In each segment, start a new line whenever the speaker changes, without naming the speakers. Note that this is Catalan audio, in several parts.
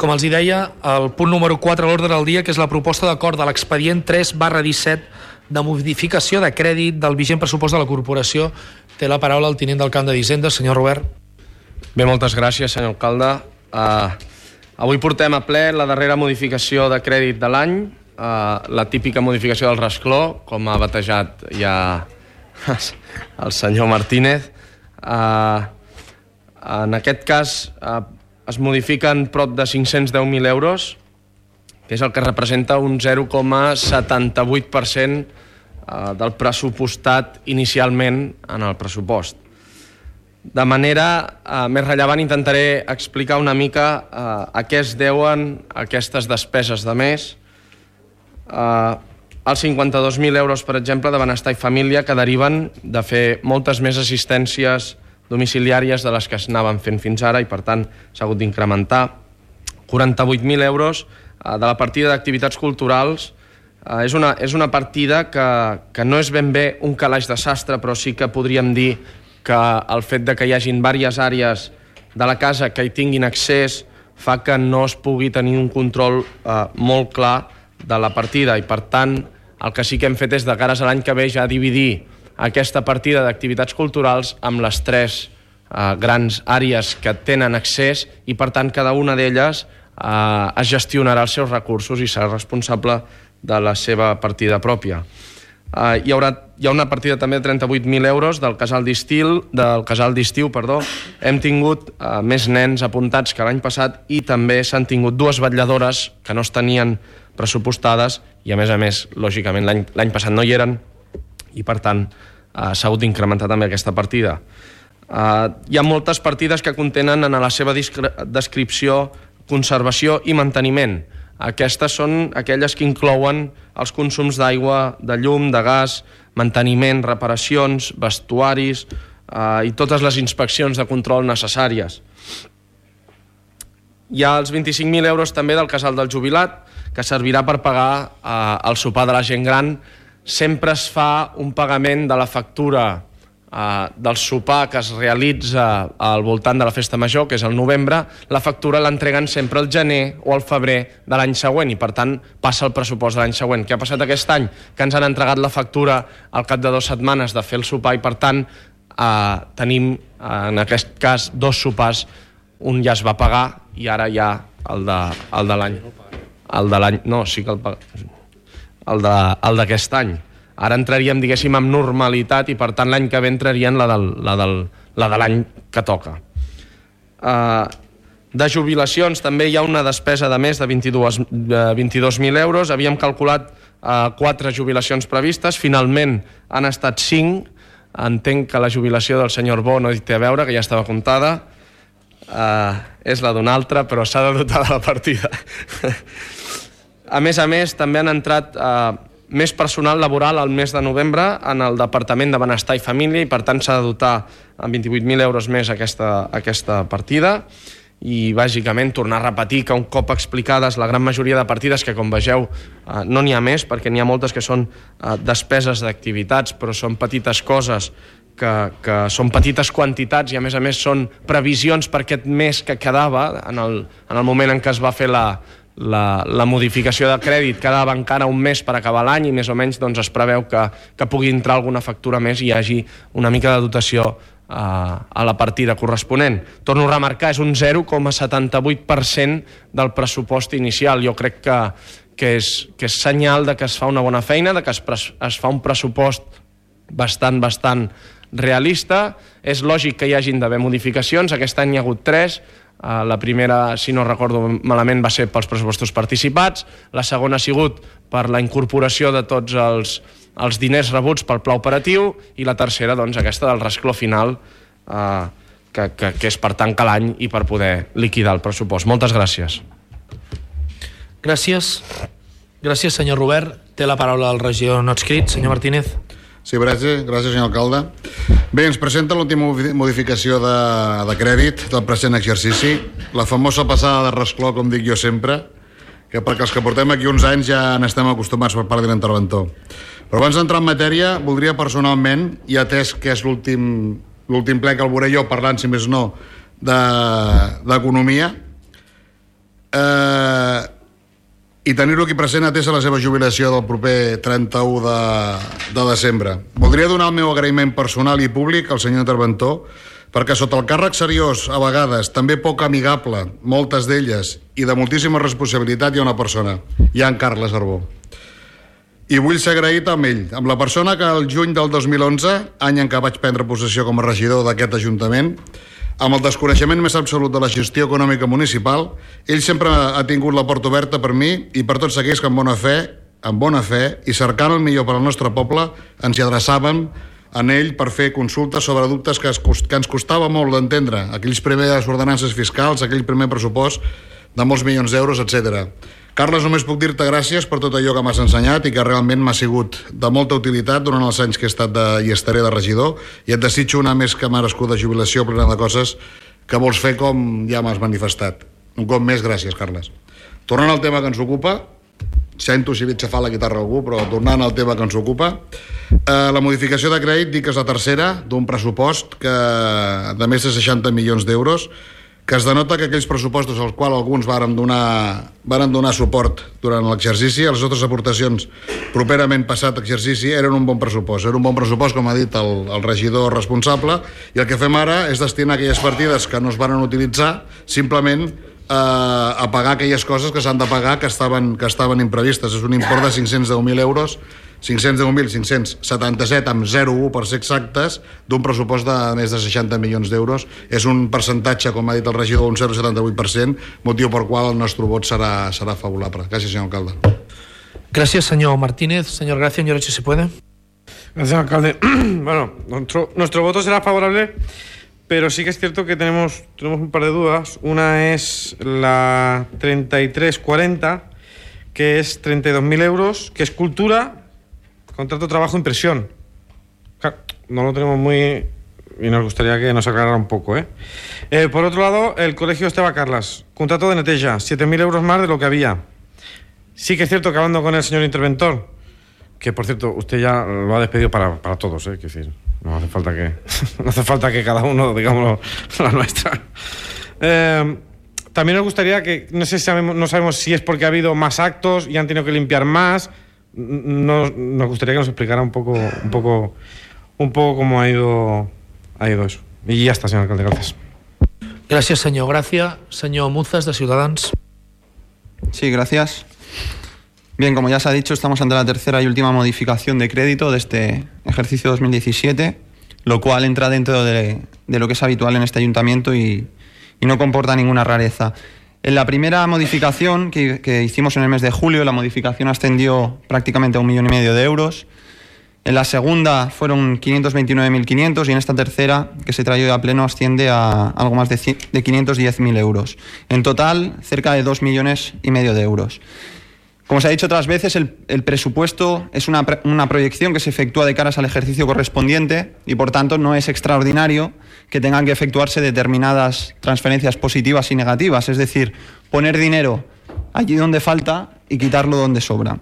Com els hi deia, el punt número 4 a l'ordre del dia, que és la proposta d'acord de l'expedient 3/17 de modificació de crèdit del vigent pressupost de la corporació. Té la paraula el tinent d'alcalde d'Hisenda, senyor Robert.
Bé, moltes gràcies, senyor alcalde. Avui portem a ple la darrera modificació de crèdit de l'any, la típica modificació del rascló, com ha batejat ja el senyor Martínez. En aquest cas es modifiquen prop de 510.000 euros, que és el que representa un 0,78% del pressupostat inicialment en el pressupost. De manera més rellevant intentaré explicar una mica a què es deuen aquestes despeses de més. Els 52.000 euros, per exemple, de Benestar i Família, que deriven de fer moltes més assistències domiciliàries de les que s'anaven fent fins ara i, per tant, s'ha hagut d'incrementar. 48.000 euros de la partida d'activitats culturals. És una partida que no és ben bé un calaix de sastre, però sí que podríem dir que el fet de que hi hagin diverses àrees de la casa que hi tinguin accés fa que no es pugui tenir un control molt clar de la partida i, per tant, el que sí que hem fet és de cares a l'any que ve ja dividir aquesta partida d'activitats culturals amb les 3 grans àrees que tenen accés i, per tant, cada una d'elles es gestionarà els seus recursos i serà responsable de la seva partida pròpia. Hi ha una partida també de 38.000 euros del casal d'estiu. Hem tingut més nens apuntats que l'any passat i també s'han tingut 2 vetlladores que no es tenien pressupostades i, a més, lògicament, l'any passat no hi eren i, per tant, s'ha hagut d'incrementar també aquesta partida. Hi ha moltes partides que contenen en la seva descripció conservació i manteniment. Aquestes són aquelles que inclouen els consums d'aigua, de llum, de gas, manteniment, reparacions, vestuaris i totes les inspeccions de control necessàries. Hi ha els 25.000 euros també del casal del jubilat, que servirà per pagar el sopar de la gent gran. Sempre es fa un pagament de la factura del sopar que es realitza al voltant de la festa major, que és el novembre. La factura l'entreguen sempre al gener o al febrer de l'any següent i, per tant, passa el pressupost de l'any següent. Què ha passat aquest any? Que ens han entregat la factura al cap de 2 setmanes de fer el sopar i, per tant, tenim, en aquest cas, 2 sopars. Un ja es va pagar i ara hi ha el de l'any. No, sí que el d'aquest any. Ara entraríem, diguéssim, amb normalitat i, per tant, l'any que ve entraríem la de l'any que toca. De jubilacions també hi ha una despesa de més de 22.000 euros. Havíem calculat 4 jubilacions previstes, finalment han estat 5. Entenc que la jubilació del senyor Bo no hi té a veure, que ja estava comptada. És la d'una altra, però s'ha de dotar de la partida. A més, també han entrat més personal laboral al mes de novembre en el Departament de Benestar i Família i, per tant, s'ha de dotar amb 28.000 euros més aquesta partida. I, bàsicament, tornar a repetir que un cop explicades la gran majoria de partides, que com vegeu no n'hi ha més, perquè n'hi ha moltes que són despeses d'activitats, però són petites coses, que són petites quantitats i, a més, són previsions per aquest mes que quedava en el moment en què es va fer la modificació de crèdit. Quedava encara un mes per acabar l'any i més o menys es preveu que pugui entrar alguna factura més i hi hagi una mica de dotació a la partida corresponent. Torno a remarcar, és un 0,78% del pressupost inicial. Jo crec que és senyal de que es fa una bona feina, de que es fa un pressupost bastant realista. És lògic que hi hagin d'haver modificacions. Aquest any hi ha hagut 3. La primera, si no recordo malament, va ser pels pressupostos participats. La segona ha sigut per la incorporació de tots els diners rebuts pel pla operatiu i la tercera, aquesta del rascló final, que és per tancar l'any i per poder liquidar el pressupost. Moltes gràcies.
Gràcies, senyor Robert. Té la paraula el regidor no adscrit, senyor Martínez.
Sí, gràcies, senyor alcalde. Bé, ens presenta l'última modificació de crèdit del present exercici, la famosa passada de rascló, com dic jo sempre, que perquè els que portem aquí uns anys ja n'estem acostumats per part de l'interventor. Però abans d'entrar en matèria, voldria personalment, i atès que és l'últim ple que el veuré jo parlant, si més no, d'economia, i tenir-lo aquí present atès a la seva jubilació del proper 31 de desembre. Voldria donar el meu agraïment personal i públic al senyor interventor perquè sota el càrrec seriós, a vegades, també poc amigable, moltes d'elles, i de moltíssima responsabilitat hi ha una persona, hi ha en Carles Arbó. I vull ser agraït amb ell, amb la persona que el juny del 2011, any en què vaig prendre possessió com a regidor d'aquest Ajuntament, amb el desconeixement més absolut de la gestió econòmica municipal, ell sempre ha tingut la porta oberta per mi i per tots aquells que amb bona fe i cercant el millor per al nostre poble, ens hi adreçàvem en ell per fer consultes sobre dubtes que ens costava molt d'entendre, aquells primers ordenances fiscals, aquell primer pressupost de molts milions d'euros, etc. Carles, només puc dir-te gràcies per tot allò que m'has ensenyat i que realment m'ha sigut de molta utilitat durant els anys que he estat i estaré de regidor, i et desitjo una més que merescuda jubilació plena de coses que vols fer com ja m'has manifestat. Un cop més, gràcies, Carles. Tornant al tema que ens ocupa, sento si veig xafar la guitarra a algú, però tornant al tema que ens ocupa, la modificació de crèdit dic que és la tercera d'un pressupost de més de 60 milions d'euros, que es denota que aquells pressupostos als quals alguns varen donar suport durant l'exercici, les nostres aportacions properament passat exercici eren un bon pressupost. Era un bon pressupost, com ha dit el regidor responsable, i el que fem ara és destinar aquelles partides que no es van utilitzar simplement a pagar aquelles coses que s'han de pagar que estaven imprevistes. És un import de 510.000 euros, 577 amb 0,1 per ser exactes, d'un pressupost de més de 60 milions d'euros. És un percentatge, com ha dit el regidor, un 0,78%, motiu per qual el nostre vot serà favorable. Gràcies, senyor alcalde.
Gracias, señor Martínez. Señor Gracia, señor, si se puede.
Gracias, alcalde. Bueno, nuestro voto será favorable, pero sí que es cierto que tenemos un par de dudas. Una es la 3340, que es 32.000 euros, que es cultura, contrato, trabajo, impresión. No lo tenemos muy... y nos gustaría que nos aclarara un poco, Por otro lado, el colegio Esteba Carlas, contrato de neteja, 7.000 euros más de lo que había. Sí que es cierto que hablando con el señor interventor, que por cierto, usted ya lo ha despedido para todos, quiero decir, no hace falta que cada uno, digamos, la nuestra. También nos gustaría que, no sabemos si es porque ha habido más actos y han tenido que limpiar más. Nos gustaría que nos explicara un poco cómo ha ido eso. Y ya está, señor alcalde, gracias.
Gracias, señor Gracia. Señor Muzas, de Ciudadanos.
Sí, gracias. Bien, como ya se ha dicho, estamos ante la tercera y última modificación de crédito de este ejercicio 2017, lo cual entra dentro de lo que es habitual en este ayuntamiento y no comporta ninguna rareza. En la primera modificación que hicimos en el mes de julio, la modificación ascendió prácticamente a 1,5 millones de euros. En la segunda fueron 529.500 y en esta tercera, que se trae hoy a pleno, asciende a algo más de 510.000 euros. En total, cerca de 2,5 millones de euros. Como se ha dicho otras veces, el presupuesto es una proyección que se efectúa de caras al ejercicio correspondiente y, por tanto, no es extraordinario que tengan que efectuarse determinadas transferencias positivas y negativas, es decir, poner dinero allí donde falta y quitarlo donde sobra.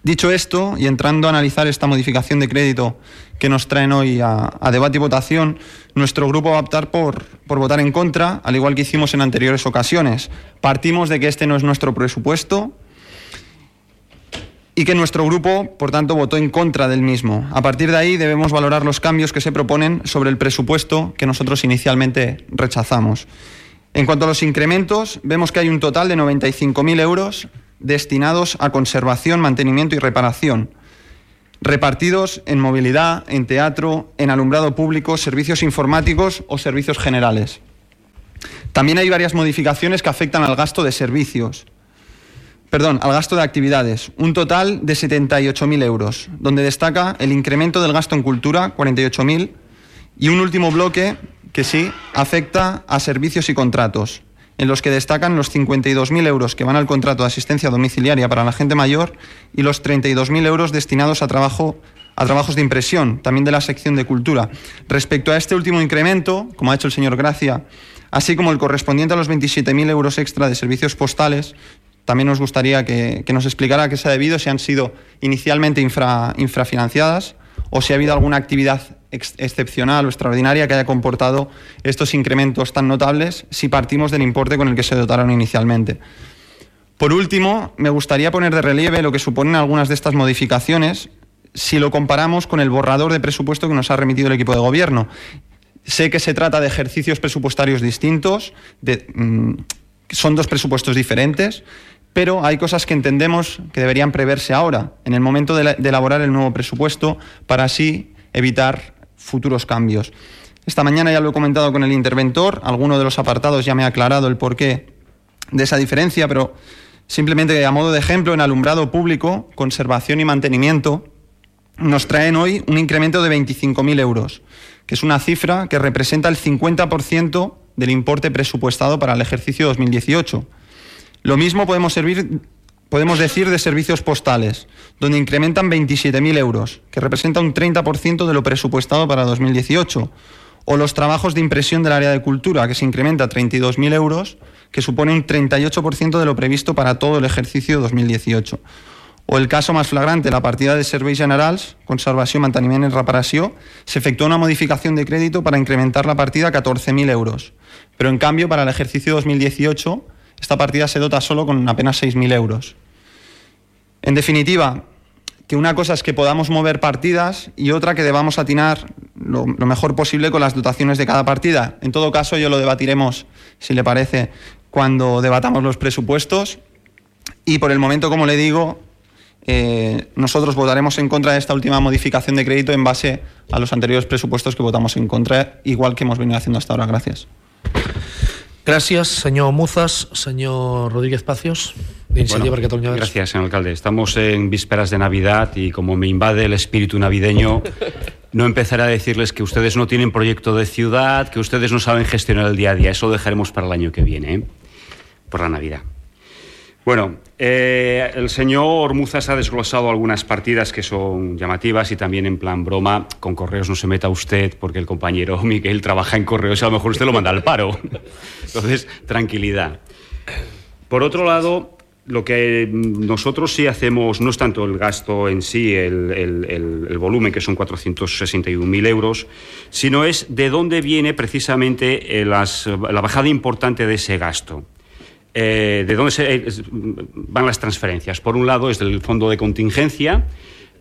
Dicho esto, y entrando a analizar esta modificación de crédito que nos traen hoy a debate y votación, nuestro grupo va a optar por votar en contra, al igual que hicimos en anteriores ocasiones. Partimos de que este no es nuestro presupuesto y que nuestro grupo, por tanto, votó en contra del mismo. A partir de ahí debemos valorar los cambios que se proponen sobre el presupuesto que nosotros inicialmente rechazamos. En cuanto a los incrementos, vemos que hay un total de 95.000 euros destinados a conservación, mantenimiento y reparación, repartidos en movilidad, en teatro, en alumbrado público, servicios informáticos o servicios generales. También hay varias modificaciones que afectan al gasto de servicios. Al gasto de actividades, un total de 78.000 euros, donde destaca el incremento del gasto en cultura, 48.000, y un último bloque que sí afecta a servicios y contratos, en los que destacan los 52.000 euros que van al contrato de asistencia domiciliaria para la gente mayor y los 32.000 euros destinados a trabajos de impresión, también de la sección de cultura. Respecto a este último incremento, como ha hecho el señor Gracia, así como el correspondiente a los 27.000 euros extra de servicios postales, también nos gustaría que nos explicara a qué se ha debido, si han sido inicialmente infrafinanciadas o si ha habido alguna actividad excepcional o extraordinaria que haya comportado estos incrementos tan notables, si partimos del importe con el que se dotaron inicialmente. Por último, me gustaría poner de relieve lo que suponen algunas de estas modificaciones si lo comparamos con el borrador de presupuesto que nos ha remitido el equipo de gobierno. Sé que se trata de ejercicios presupuestarios distintos, son dos presupuestos diferentes, pero hay cosas que entendemos que deberían preverse ahora, en el momento de elaborar el nuevo presupuesto, para así evitar futuros cambios. Esta mañana ya lo he comentado con el interventor, alguno de los apartados ya me ha aclarado el porqué de esa diferencia, pero simplemente a modo de ejemplo, en alumbrado público, conservación y mantenimiento, nos traen hoy un incremento de 25.000 euros, que es una cifra que representa el 50% del importe presupuestado para el ejercicio 2018. Lo mismo podemos decir de servicios postales, donde incrementan 27.000 euros, que representa un 30% de lo presupuestado para 2018. O los trabajos de impresión del área de cultura, que se incrementa a 32.000 euros, que supone un 38% de lo previsto para todo el ejercicio 2018. O el caso más flagrante, la partida de Serveis Generals, Conservació, Manteniment i Reparació, se efectuó una modificación de crédito para incrementar la partida a 14.000 euros. Pero en cambio, para el ejercicio 2018, esta partida se dota solo con apenas 6.000 euros. En definitiva, que una cosa es que podamos mover partidas y otra que debamos atinar lo mejor posible con las dotaciones de cada partida. En todo caso, yo lo debatiremos, si le parece, cuando debatamos los presupuestos. Y por el momento, como le digo, nosotros votaremos en contra de esta última modificación de crédito en base a los anteriores presupuestos que votamos en contra, igual que hemos venido haciendo hasta ahora. Gracias.
Gracias, señor Muzas. Señor Rodríguez Pacios, de Iniciativa per Catalunya Verds.
Gracias, señor alcalde. Estamos en vísperas de Navidad y como me invade el espíritu navideño, no empezaré a decirles que ustedes no tienen proyecto de ciudad, que ustedes no saben gestionar el día a día. Eso lo dejaremos para el año que viene, por la Navidad. Bueno, el señor Muzas ha desglosado algunas partidas que son llamativas y también en plan broma, con correos no se meta usted porque el compañero Miguel trabaja en correos y a lo mejor usted lo manda al paro. Entonces, tranquilidad. Por otro lado, lo que nosotros sí hacemos no es tanto el gasto en sí, el volumen, que son 461.000 euros, sino es de dónde viene precisamente la bajada importante de ese gasto. De dónde van las transferencias. Por un lado es del fondo de contingencia,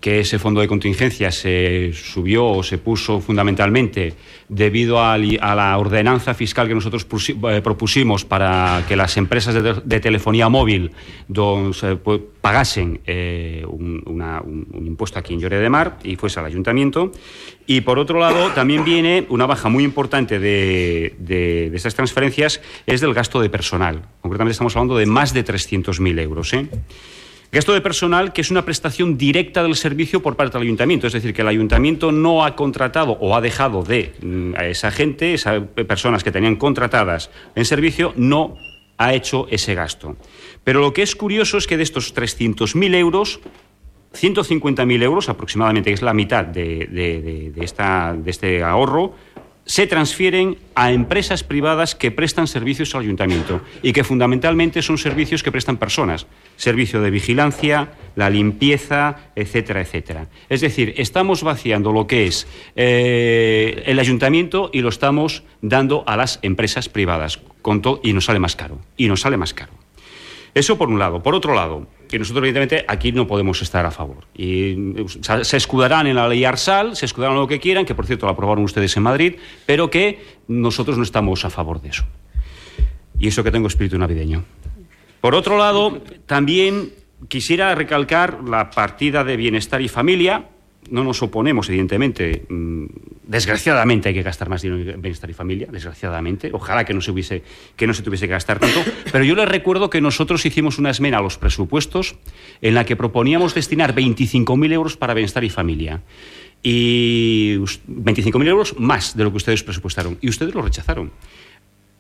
que ese fondo de contingencia se subió o se puso fundamentalmente debido a la ordenanza fiscal que nosotros propusimos para que las empresas de telefonía móvil pagasen un impuesto aquí en Lloret de Mar y fuese al ayuntamiento. Y por otro lado también viene una baja muy importante de estas transferencias, es del gasto de personal. Concretamente estamos hablando de más de 300.000 euros. Gasto de personal que es una prestación directa del servicio por parte del ayuntamiento, es decir, que el ayuntamiento no ha contratado o ha dejado a esa gente, esas personas que tenían contratadas en servicio, no ha hecho ese gasto. Pero lo que es curioso es que de estos 300.000 euros, 150.000 euros aproximadamente, que es la mitad de este ahorro, se transfieren a empresas privadas que prestan servicios al ayuntamiento y que fundamentalmente son servicios que prestan personas, servicio de vigilancia, la limpieza, etcétera, etcétera. Es decir, estamos vaciando lo que es el ayuntamiento y lo estamos dando a las empresas privadas y nos sale más caro. Eso por un lado. Por otro lado, que nosotros evidentemente aquí no podemos estar a favor. Y se escudarán en la ley Arsal, se escudarán en lo que quieran, que por cierto la aprobaron ustedes en Madrid, pero que nosotros no estamos a favor de eso. Y eso que tengo espíritu navideño. Por otro lado, también quisiera recalcar la partida de bienestar y familia. No nos oponemos, evidentemente. Desgraciadamente hay que gastar más dinero en bienestar y familia, desgraciadamente. Ojalá que no se tuviese que gastar tanto. Pero yo les recuerdo que nosotros hicimos una esmena a los presupuestos en la que proponíamos destinar 25.000 euros para bienestar y familia. Y 25.000 euros más de lo que ustedes presupuestaron. Y ustedes lo rechazaron.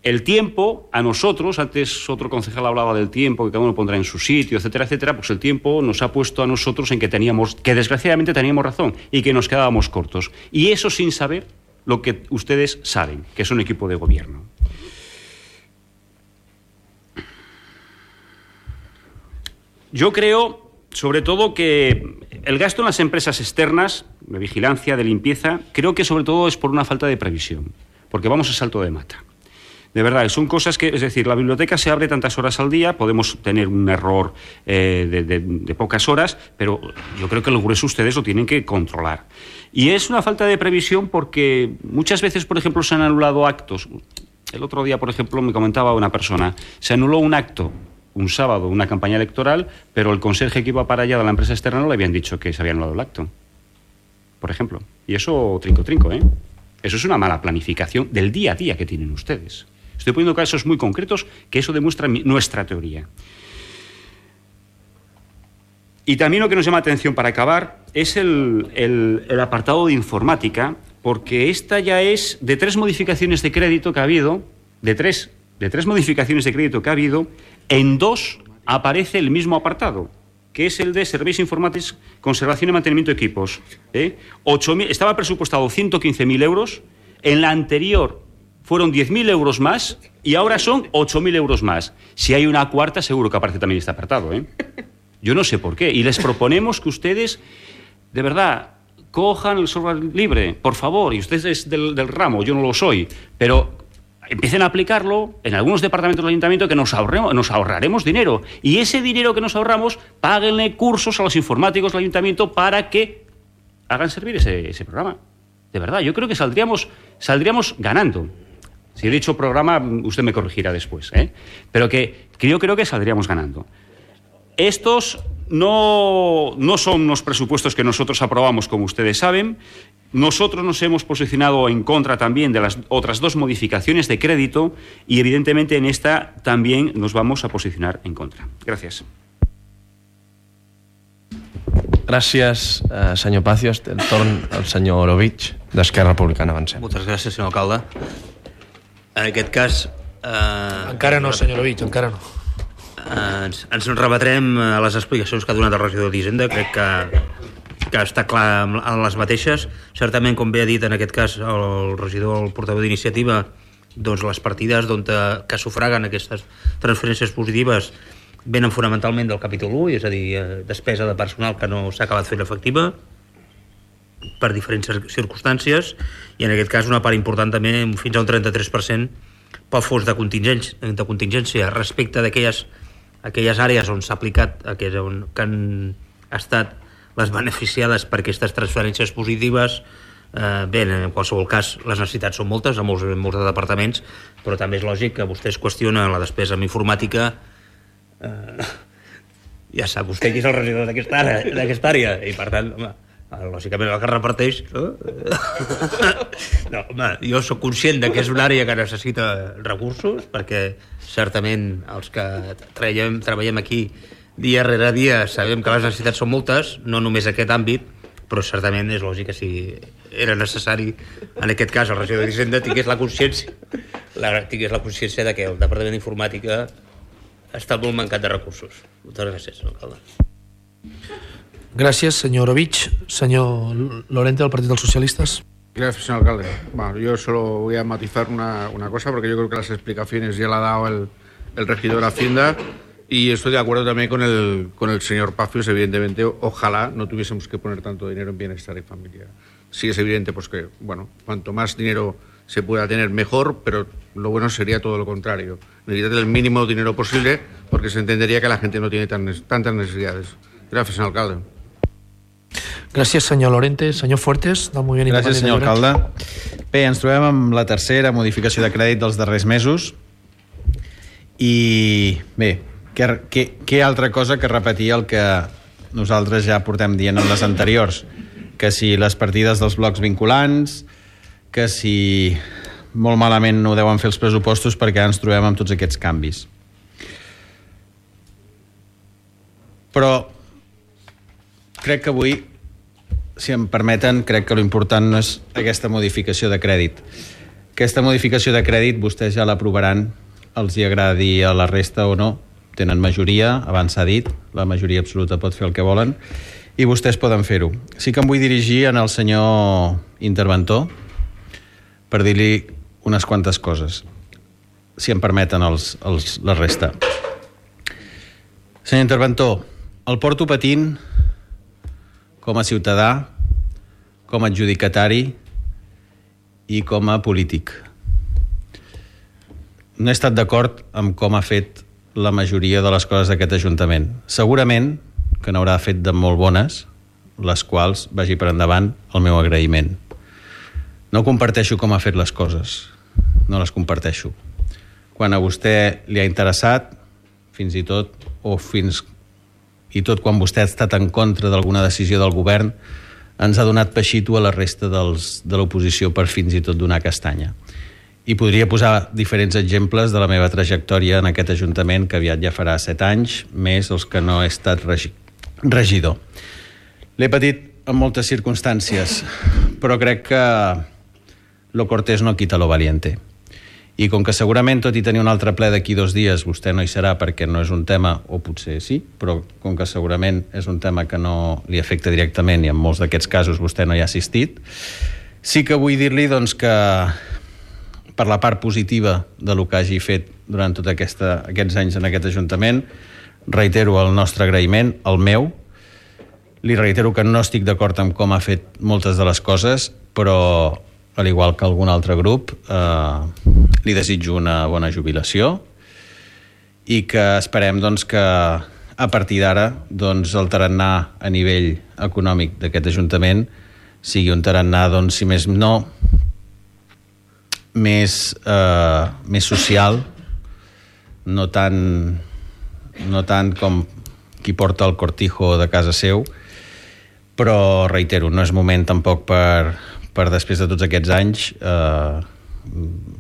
El tiempo, a nosotros, antes otro concejal hablaba del tiempo, que cada uno pondrá en su sitio, etcétera, etcétera, pues el tiempo nos ha puesto a nosotros en que desgraciadamente teníamos razón y que nos quedábamos cortos. Y eso sin saber lo que ustedes saben, que son equipo de gobierno. Yo creo, sobre todo, que el gasto en las empresas externas, de vigilancia, de limpieza, creo que sobre todo es por una falta de previsión, porque vamos a salto de mata. De verdad, son cosas que, es decir, la biblioteca se abre tantas horas al día, podemos tener un error de pocas horas, pero yo creo que el grueso ustedes lo tienen que controlar. Y es una falta de previsión porque muchas veces, por ejemplo, se han anulado actos. El otro día, por ejemplo, me comentaba una persona, se anuló un acto un sábado, una campaña electoral, pero el conserje que iba para allá de la empresa externa no le habían dicho que se había anulado el acto, por ejemplo. Y eso, trinco, ¿eh? Eso es una mala planificación del día a día que tienen ustedes. Estoy poniendo casos muy concretos que eso demuestra nuestra teoría. Y también lo que nos llama atención para acabar es el apartado de informática, porque esta ya es de 3 modificaciones de crédito que ha habido, de tres modificaciones de crédito que ha habido, en 2 aparece el mismo apartado, que es el de Serveis Informàtics, Conservación y Mantenimiento de Equipos. Estaba presupuestado 115.000 euros, en la anterior fueron 10.000 euros más y ahora son 8.000 euros más. Si hay una cuarta, seguro que aparece también este apartado, ¿eh? Yo no sé por qué. Y les proponemos que ustedes, de verdad, cojan el software libre, por favor. Y ustedes del ramo, yo no lo soy, pero empiecen a aplicarlo en algunos departamentos del ayuntamiento, que nos ahorraremos dinero. Y ese dinero que nos ahorramos, páguenle cursos a los informáticos del ayuntamiento para que hagan servir ese programa. De verdad, yo creo que saldríamos ganando. Si he dicho programa, usted me corregirá después, ¿eh? Pero que yo creo que saldríamos ganando. Estos no son los presupuestos que nosotros aprobamos, como ustedes saben. Nosotros nos hemos posicionado en contra también de las otras 2 modificaciones de crédito y, evidentemente, en esta también nos vamos a posicionar en contra. Gràcies.
Gràcies, senyor Pàcios. El torn al senyor Orovich, d'Esquerra Republicana. Avancem.
Moltes gràcies, senyor alcalde. En aquest cas...
Encara no, senyor Orovich, encara no.
Ens rebatrem a les explicacions que ha donat el regidor d'Hisenda. Crec que està clar en les mateixes. Certament, com bé ha dit en aquest cas el regidor, el portaveu d'Iniciativa, doncs les partides que sufraguen aquestes transferències positives venen fonamentalment del capítol 1, és a dir, despesa de personal que no s'ha acabat fent efectiva per diferents circumstàncies, i en aquest cas una part important també, fins a un 33%, pel fons de contingència respecte d'aquelles àrees on s'ha aplicat, que han estat les beneficiades per aquestes transferències positives. Bé, en qualsevol cas, les necessitats són moltes, a molts de departaments, però també és lògic que vostès qüestionen la despesa en informàtica. Ja sap vostè qui és el regidor d'aquesta àrea, i per tant, home, lògicament el que reparteix, no? No, home, jo soc conscient que és una àrea que necessita recursos, perquè certament els que treballem aquí dia rere dia sabem que les necessitats són moltes, no només aquest àmbit, però certament és lògic que si era necessari, en aquest cas el regidor d'Hisenda tingués la consciència de que el Departament d'Informàtica està molt mancat de recursos. Moltes gràcies, senyor alcalde.
Gracias, señor Orovich. Señor Lorente, del Partido de los Socialistas.
Gracias, señor alcalde. Bueno, yo solo voy a matizar una cosa, porque yo creo que las explicaciones ya la ha dado el regidor de Hacienda, y estoy de acuerdo también con el señor Pàcios. Evidentemente, ojalá no tuviésemos que poner tanto dinero en bienestar y familia. Sí es evidente pues que, bueno, cuanto más dinero se pueda tener mejor, pero lo bueno sería todo lo contrario. Necesitar el mínimo dinero posible, porque se entendería que la gente no tiene tantas necesidades. Gracias, señor alcalde.
Gràcies, senyor Lorente. Senyor Fuertes, del Moviment Independent.
Gràcies, senyor alcalde. Bé, ens trobem amb la tercera modificació de crèdit dels darrers mesos i, bé, què altra cosa que repetir el que nosaltres ja portem dient en les anteriors, que si les partides dels blocs vinculants, que si molt malament no deuen fer els pressupostos perquè ens trobem amb tots aquests canvis. Però crec que avui, si em permeten, crec que l'important no és aquesta modificació de crèdit. Aquesta modificació de crèdit vostès ja l'aprovaran, els hi agradi a la resta o no. Tenen majoria, abans s'ha dit, la majoria absoluta pot fer el que volen, i vostès poden fer-ho. Sí que em vull dirigir al senyor interventor per dir-li unes quantes coses, si em permeten la resta. Senyor interventor, el porto patint com a ciutadà, com a adjudicatari i com a polític.
no he estat d'acord amb com ha fet la majoria de les coses d'aquest Ajuntament. Segurament que n'haurà fet de molt bones, les quals vagi per endavant el meu agraïment. No comparteixo com ha fet les coses, no les comparteixo. Quan a vostè li ha interessat, fins i tot, i tot quan vostè ha estat en contra d'alguna decisió del govern, ens ha donat peixito a la resta de l'oposició per fins i tot donar castanya. I podria posar diferents exemples de la meva trajectòria en aquest Ajuntament, que aviat ja farà 7 anys, més els que no he estat regidor. L'he patit en moltes circumstàncies, però crec que lo cortés no quita lo valiente. I com que segurament, tot i tenir un altre ple d'aquí 2 dies, vostè no hi serà perquè no és un tema, o potser sí, però com que segurament és un tema que no li afecta directament i en molts d'aquests casos vostè no hi ha assistit, sí que vull dir-li doncs, que per la part positiva de lo que hagi fet durant tots aquests anys en aquest Ajuntament, reitero el nostre agraïment, el meu. Li reitero que no estic d'acord amb com ha fet moltes de les coses, però, al igual que algun altre grup, li desitjo una bona jubilació i que esperem doncs, que a partir d'ara doncs, el tarannà a nivell econòmic d'aquest Ajuntament sigui un tarannà, doncs, si més no, més social, no tant com qui porta el cortijo de casa seu, però reitero, no és moment tampoc per després de tots aquests anys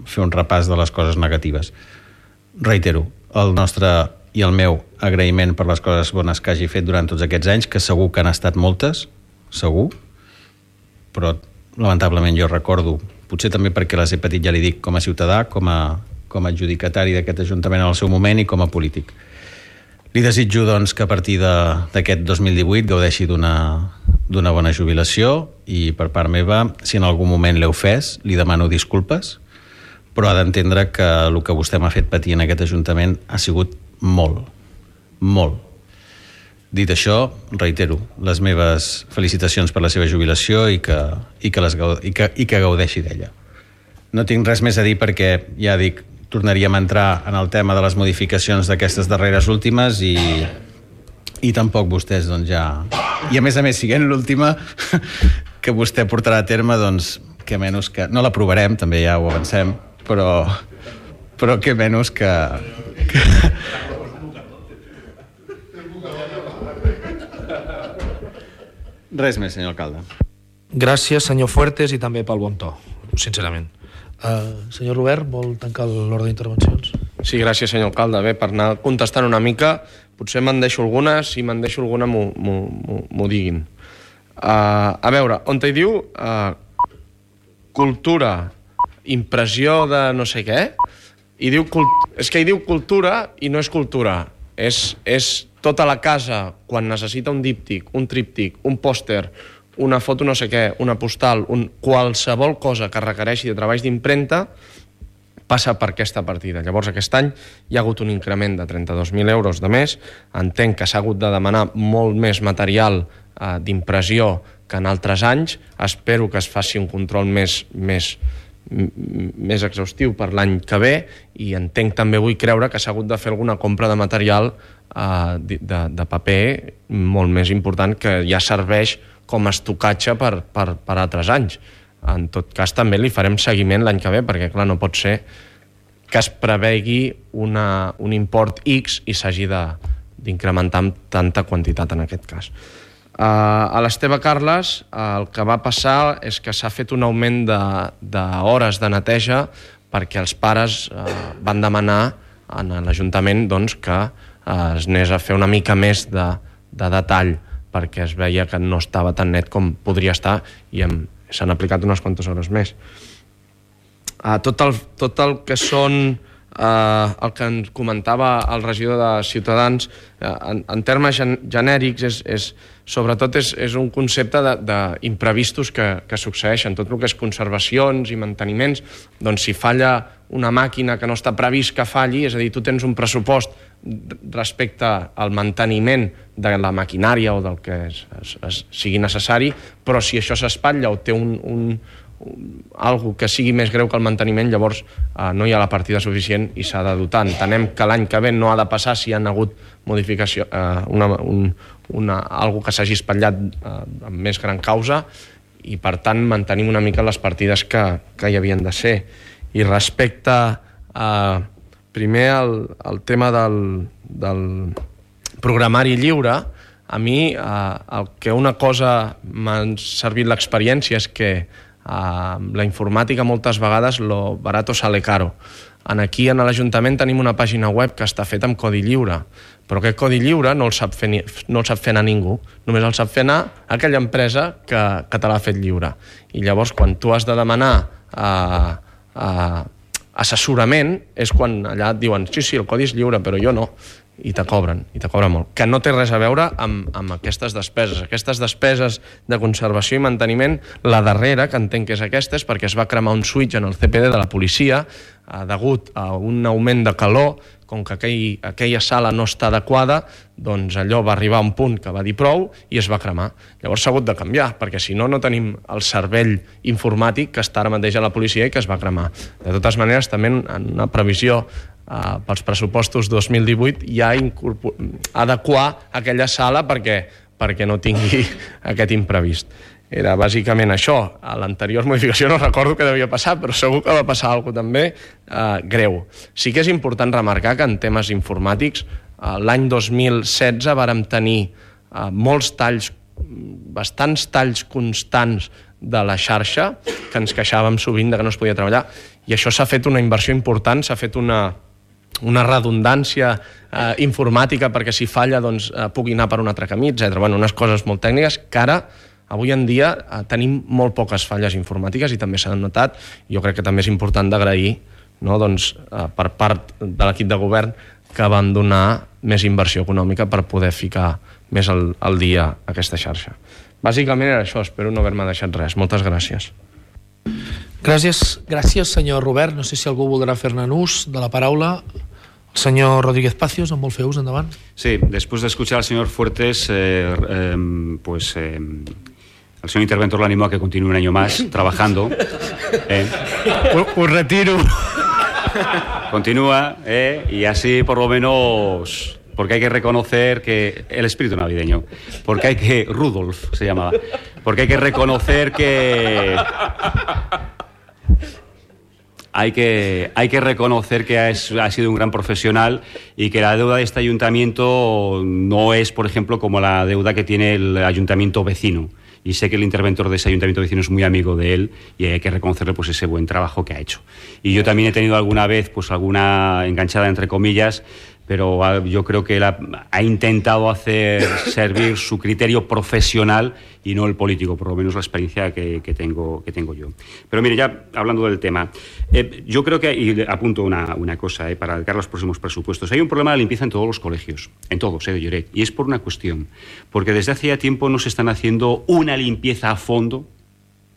fer un repàs de les coses negatives. Reitero, el nostre i el meu agraïment per les coses bones que hagi fet durant tots aquests anys, que segur que han estat moltes, segur, però lamentablement jo recordo, potser també perquè les he patit, ja li dic, com a ciutadà, com a adjudicatari d'aquest Ajuntament en el seu moment i com a polític. Li desitjo doncs, que a partir d'aquest 2018 gaudeixi d'una bona jubilació i per part meva, si en algun moment l'he ofès, li demano disculpes, però ha d'entendre que el que vostè m'ha fet patir en aquest Ajuntament ha sigut molt, molt. Dit això, reitero les meves felicitacions per la seva jubilació i que gaudeixi d'ella. No tinc res més a dir perquè, ja dic, tornaríem a entrar en el tema de les modificacions d'aquestes darreres últimes i tampoc vostès doncs ja... I a més, siguent l'última que vostè portarà a terme, doncs, que menys que... No l'aprovarem, també ja ho avancem, però que menys que... Res més, senyor alcalde.
Gràcies, senyor Fuertes, i també pel bon to, sincerament. Senyor Robert, vol tancar l'ordre d'intervencions?
Sí, gràcies, senyor alcalde. Bé, per anar contestant una mica, potser me'n deixo alguna, si me'n deixo alguna m'ho diguin. A veure, on hi diu cultura, impressió de no sé què, és que hi diu cultura i no és cultura. És tota la casa, quan necessita un díptic, un tríptic, un pòster, una foto no sé què, una postal, qualsevol cosa que requereixi de treballs d'impremta, passa per aquesta partida. Llavors, aquest any hi ha hagut un increment de 32.000 euros de més. Entenc que s'ha hagut de demanar molt més material d'impressió que en altres anys. Espero que es faci un control més exhaustiu per l'any que ve i entenc també, vull creure, que s'ha hagut de fer alguna compra de material de paper molt més important que ja serveix com a estocatge per altres anys. En tot cas, també li farem seguiment l'any que ve, perquè, clar, no pot ser que es prevegi un import X i s'hagi d'incrementar amb tanta quantitat en aquest cas. A l'Esteve Carles el que va passar és que s'ha fet un augment d'hores de neteja perquè els pares van demanar a l'Ajuntament que es anés a fer una mica més de detall perquè es veia que no estava tan net com podria estar i s'han aplicat unes quantes hores més. Tot el que són el que ens comentava el regidor de Ciutadans en termes genèrics sobretot és un concepte d'imprevistos que succeeixen. Tot el que és conservacions i manteniments, doncs si falla una màquina que no està previst que falli, és a dir, tu tens un pressupost respecte al manteniment de la maquinària o del que sigui necessari, però si això s'espatlla o té algo que sigui més greu que el manteniment, llavors no hi ha la partida suficient i s'ha de dotar. Entenem que l'any que ve no ha de passar si hi ha hagut modificació, algo que s'hagi espatllat amb més gran causa, i per tant mantenim una mica les partides que hi havien de ser. I respecte primer al tema del programari lliure, a mi el que una cosa m'ha servit l'experiència és que la informàtica moltes vegades lo barato sale caro. Aquí a l'Ajuntament tenim una pàgina web que està feta amb codi lliure, però aquest codi lliure no el sap fer anar ningú, només el sap fer anar aquella empresa que te l'ha fet lliure. I llavors quan tu has de demanar assessorament és quan allà et diuen sí, el codi és lliure, però jo no, i te cobren molt, que no té res a veure amb aquestes despeses. Aquestes despeses de conservació i manteniment, la darrera, que entenc que és aquesta, és perquè es va cremar un switch en el CPD de la policia degut a un augment de calor. Com que aquella sala no està adequada, doncs allò va arribar a un punt que va dir prou i es va cremar. Llavors s'ha hagut de canviar, perquè si no, no tenim el cervell informàtic que està ara mateix a la policia i que es va cremar. De totes maneres, també en una previsió pels pressupostos 2018 ja adequar aquella sala perquè no tingui aquest imprevist. Era bàsicament això. A l'anterior modificació no recordo què devia passar, però segur que va passar alguna cosa també greu. Sí que és important remarcar que en temes informàtics l'any 2016 vàrem tenir molts talls, bastants talls constants de la xarxa, que ens queixàvem sovint de que no es podia treballar, i això s'ha fet una inversió important, s'ha fet una redundància informàtica perquè si falla pugui anar per un altre camí, etc. Unes coses molt tècniques que ara avui en dia tenim molt poques falles informàtiques i també s'han notat. Jo crec que també és important d'agrair per part de l'equip de govern que van donar més inversió econòmica per poder ficar més al dia aquesta xarxa. Bàsicament era això, espero no haver-me deixat res. Moltes gràcies.
Gràcies, senyor Robert. No sé si algú voldrà fer-ne ús de la paraula. El señor Rodríguez Pacios, en vol fer ús, endavant.
Sí, después de escuchar al señor Fuertes, el señor interventor lo animó a que continúe un año más trabajando.
Un retiro.
Continúa, y así por lo menos, porque hay que reconocer que el espíritu navideño, porque hay que, Rudolf se llamaba, porque hay que reconocer que hay que reconocer que ha sido un gran profesional y que la deuda de este ayuntamiento no es, por ejemplo, como la deuda que tiene el ayuntamiento vecino. Y sé que el interventor de ese ayuntamiento vecino es muy amigo de él y hay que reconocerle pues ese buen trabajo que ha hecho. Y yo también he tenido alguna vez pues alguna enganchada entre comillas, pero yo creo que él ha intentado hacer servir su criterio profesional y no el político, por lo menos la experiencia que tengo yo. Pero mire, ya hablando del tema, yo creo que, y apunto una cosa para dedicar los próximos presupuestos, hay un problema de limpieza en todos los colegios, en todos, de Lloret, y es por una cuestión, porque desde hace ya tiempo no se están haciendo una limpieza a fondo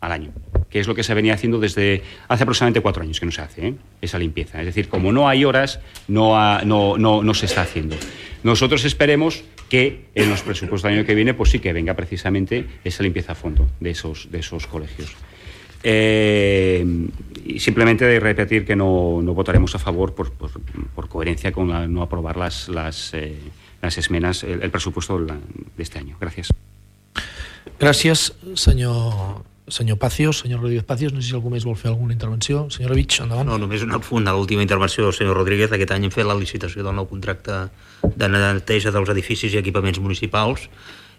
al año, que es lo que se venía haciendo desde hace aproximadamente 4 años que no se hace, esa limpieza. Es decir, como no hay horas, no se está haciendo. Nosotros esperemos que en los presupuestos del año que viene, pues sí que venga precisamente esa limpieza a fondo de esos colegios. Y simplemente de repetir que no votaremos a favor por coherencia con no aprobar las esmenas, el presupuesto de este año. Gracias.
Gràcies, senyor Pacios, senyor Rodríguez Pacios. No sé si algú més vol fer alguna intervenció. Senyora Vich, endavant.
No, només un apunt a l'última intervenció del senyor Rodríguez. Aquest any hem fet la licitació del nou contracte de neteja dels edificis i equipaments municipals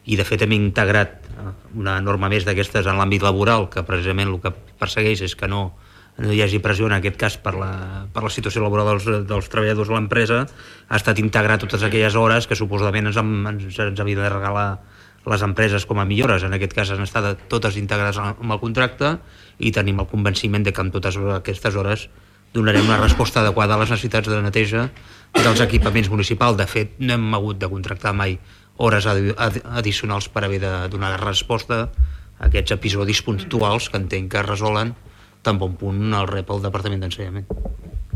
i de fet hem integrat una norma més d'aquestes en l'àmbit laboral, que precisament el que persegueix és que no hi hagi pressió en aquest cas per la situació laboral dels treballadors de l'empresa. Ha estat integrar totes aquelles hores que suposadament ens havien de regalar les empreses com a millores. En aquest cas han estat totes integrades amb el contracte i tenim el convenciment de que amb totes aquestes hores donarem una resposta adequada a les necessitats de neteja dels equipaments municipals. De fet, no hem hagut de contractar mai hores addicionals per haver de donar resposta a aquests episodis puntuals que entenc que es resolen tan bon punt el rep al Departament d'Ensenyament.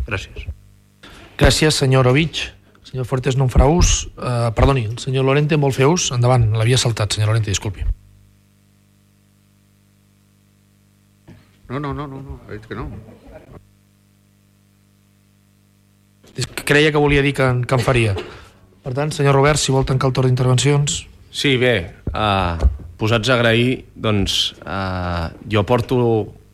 Gràcies.
Gràcies, senyor Ovich. Senyor Fuertes no en farà ús. Perdoni, el senyor Lorente en vol fer ús? Endavant, l'havia saltat, senyor Lorente, disculpi.
No, No, ha dit que no.
Creia que volia dir que en faria. Per tant, senyor Robert, si vol tancar el torn d'intervencions...
Sí, bé, posats a agrair, doncs jo porto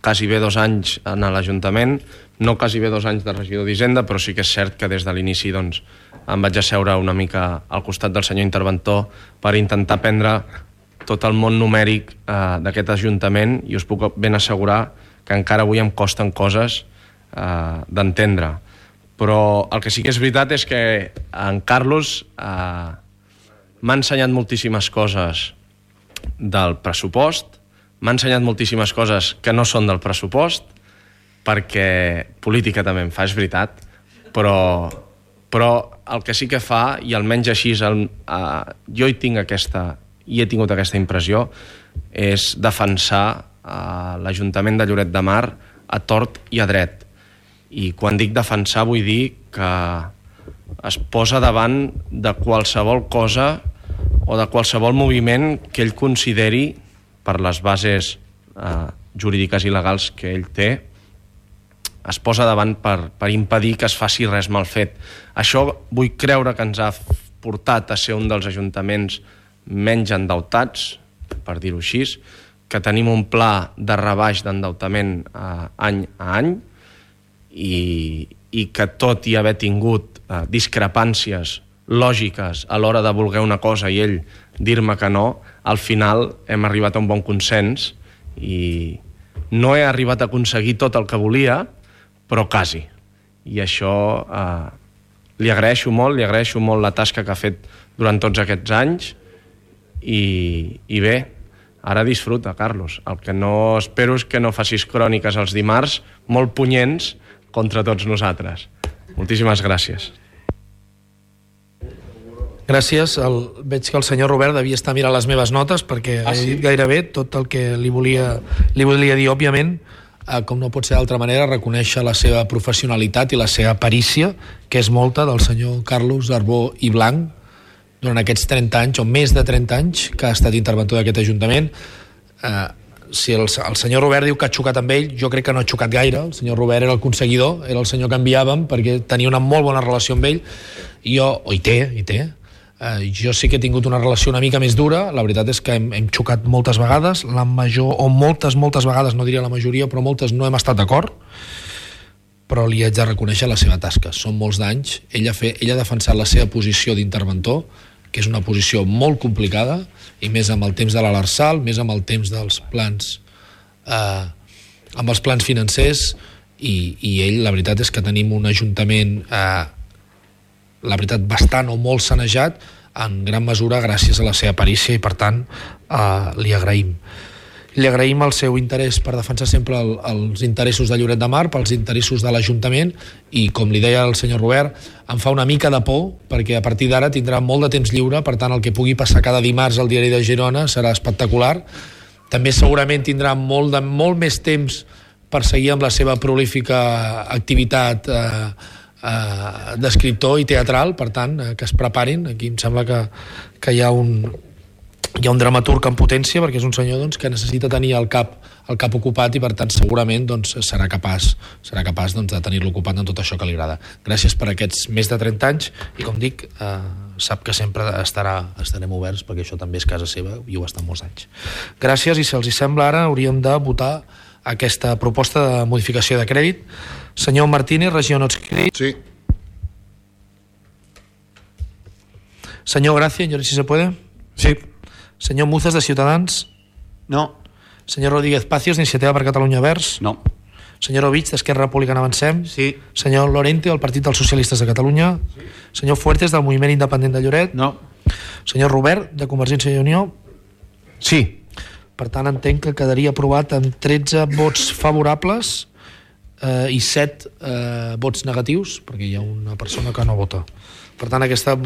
quasi bé 2 anys en l'Ajuntament, no quasi bé 2 anys de regidor d'Hisenda, però sí que és cert que des de l'inici doncs, em vaig asseure una mica al costat del senyor interventor per intentar aprendre tot el món numèric d'aquest Ajuntament, i us puc ben assegurar que encara avui em costen coses d'entendre. Però el que sí que és veritat és que en Carlos m'ha ensenyat moltíssimes coses del pressupost, m'ha ensenyat moltíssimes coses que no són del pressupost, perquè política també en fa, és veritat, però el que sí que fa, i almenys així jo he tingut aquesta impressió, és defensar l'Ajuntament de Lloret de Mar a tort i a dret. I quan dic defensar vull dir que es posa davant de qualsevol cosa o de qualsevol moviment que ell consideri, per les bases jurídiques i legals que ell té, es posa davant per impedir que es faci res mal fet. Això vull creure que ens ha portat a ser un dels ajuntaments menys endeutats, per dir-ho així, que tenim un pla de rebaix d'endeutament any a any, i que tot i haver tingut discrepàncies lògiques a l'hora de voler una cosa i ell dir-me que no, al final hem arribat a un bon consens i no he arribat a aconseguir tot el que volia, però quasi. I això li agraeixo molt la tasca que ha fet durant tots aquests anys i bé, ara disfruta, Carlos. El que no espero és que no facis cròniques els dimarts molt punyents contra tots nosaltres. Moltíssimes gràcies.
Gràcies. Veig que el senyor Robert devia estar mirant les meves notes perquè he dit gairebé tot el que li volia dir. Òbviament, com no pot ser d'altra manera, reconèixer la seva professionalitat i la seva perícia, que és molta, del senyor Carlos Arbó i Blanc, durant aquests 30 anys, o més de 30 anys, que ha estat interventor d'aquest Ajuntament. Si el senyor Robert diu que ha xocat amb ell, jo crec que no ha xocat gaire. El senyor Robert era el conseguidor, era el senyor que enviàvem, perquè tenia una molt bona relació amb ell, i hi té. Jo sí que he tingut una relació una mica més dura. La veritat és que hem xocat moltes vegades, la major, o moltes vegades, no diria la majoria, però moltes no hem estat d'acord, però li haig de reconèixer la seva tasca. Són molts d'anys. Ell ha defensat la seva posició d'interventor, que és una posició molt complicada, i més amb el temps de l'Arsal, més amb el temps dels plans amb els plans financers, i ell, la veritat és que tenim un ajuntament la veritat bastant o molt sanejat, en gran mesura gràcies a la seva perícia, i per tant li agraïm el seu interès per defensar sempre els interessos de Lloret de Mar, pels interessos de l'Ajuntament, i com li deia el senyor Robert, em fa una mica de por, perquè a partir d'ara tindrà molt de temps lliure, per tant el que pugui passar cada dimarts al Diari de Girona serà espectacular. També segurament tindrà molt més temps per seguir amb la seva prolífica activitat d'escriptor i teatral, per tant, que es preparin. Aquí em sembla que hi ha un dramaturg en potència, perquè és un senyor que necessita tenir el cap ocupat, i per tant segurament serà capaç de tenir-lo ocupat en tot això que li agrada. Gràcies per aquests més de 30 anys, i com dic, sap que sempre estarem oberts, perquè això també és casa seva i ho ha estat molts anys. Gràcies, i si els sembla ara hauríem de votar aquesta proposta de modificació de crèdit. Senyor Martínez, regidor no adscrit.
Sí.
Senyor Gracia, si se puede.
Sí.
Senyor Muzas, de Ciutadans.
No.
Senyor Rodríguez Pacios, d'Iniciativa per Catalunya Verds.
No.
Senyor Ovich, d'Esquerra Republicana Avancem.
Sí.
Senyor Lorente, del Partit dels Socialistes de Catalunya. Sí. Senyor Fuertes, del Moviment Independent de Lloret.
No.
Senyor Robert, de Convergència i Unió.
Sí.
Per tant, entenc que quedaria aprovat amb 13 vots favorables i 7 vots negatius, perquè hi ha una persona que no vota. Per tant, aquesta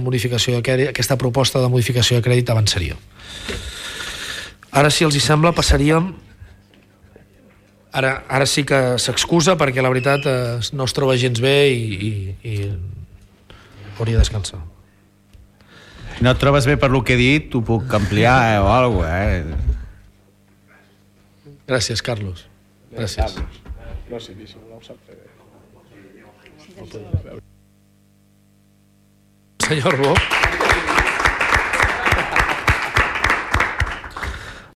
proposta de modificació de crèdit avançaria. Ara, si els sembla, passaríem... Ara sí que s'excusa, perquè la veritat no es troba gens bé i hauria de descansar.
Si no et trobes bé per lo que he dit, t'ho puc ampliar o alguna cosa,
Gràcies, Carlos. Gràcies.
No sé, si no ho sap fer bé.
Senyor Arbó.